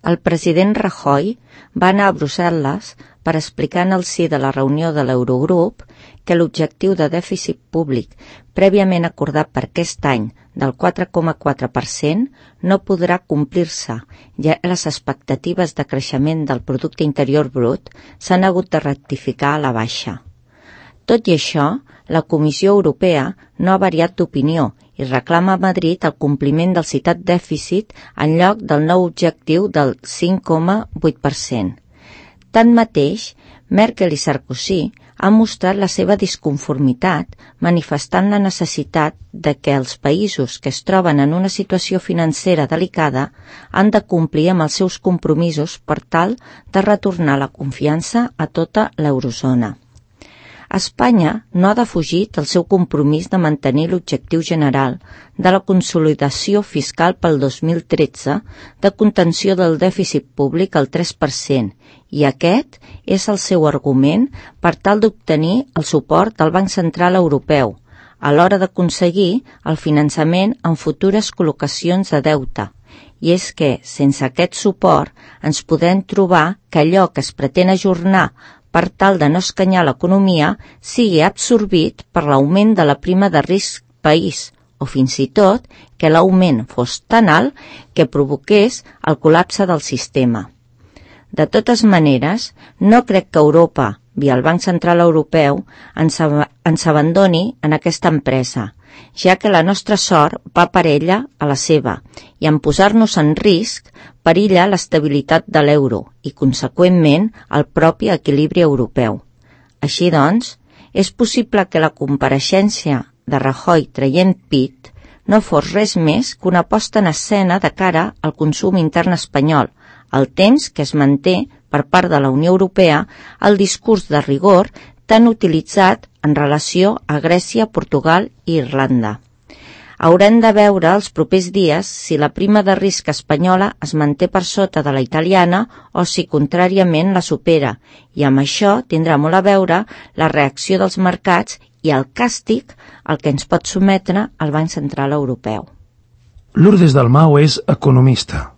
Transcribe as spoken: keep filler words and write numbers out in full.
el president Rajoy va anar a Brussel·les per explicar en el si de la reunió de l'Eurogrup que l'objectiu de dèficit públic prèviament acordat per aquest any del quatre coma quatre per cent no podrà complir-se, ja que les expectatives de creixement del producte interior brut s'han hagut de rectificar a la baixa. Tot i això, la Comissió Europea no ha variat d'opinió i reclama a Madrid el compliment del citat dèficit en lloc del nou objectiu del cinc coma vuit per cent. Tanmateix, Merkel i Sarkozy han mostrat la seva disconformitat manifestant la necessitat de que els països que es troben en una situació financera delicada han de complir amb els seus compromisos per tal de retornar la confiança a tota l'eurozona. Espanya no ha defugit el seu compromís de mantenir l'objectiu general de la consolidació fiscal pel dos mil tretze de contenció del dèficit públic al tres per cent i aquest és el seu argument per tal d'obtenir el suport del Banc Central Europeu a l'hora d'aconseguir el finançament en futures col·locacions de deute. I és que, sense aquest suport, ens podem trobar que allò que es pretén ajornar per tal de no escanyar l'economia, sigui absorbit per l'augment de la prima de risc país, o fins i tot que l'augment fos tan alt que provoqués el col·lapse del sistema. De totes maneres, no crec que Europa, via el Banc Central Europeu, ens, ab ens abandoni en aquesta empresa, ja que la nostra sort va per ella a la seva, i en posar-nos en risc perilla l'estabilitat de l'euro i, conseqüentment, el propi equilibri europeu. Així doncs, és possible que la compareixença de Rajoy traient pit no fos res més que una posta en escena de cara al consum intern espanyol, al temps que es manté per part de la Unió Europea el discurs de rigor tan utilitzat en relació a Grècia, Portugal i Irlanda. Haurem de veure els propers dies si la prima de risc espanyola es manté per sota de la italiana o si contràriament la supera, i amb això tindrà molt a veure la reacció dels mercats i el càstig al que ens pot sometre el Banc Central Europeu. Lourdes Dalmau és economista.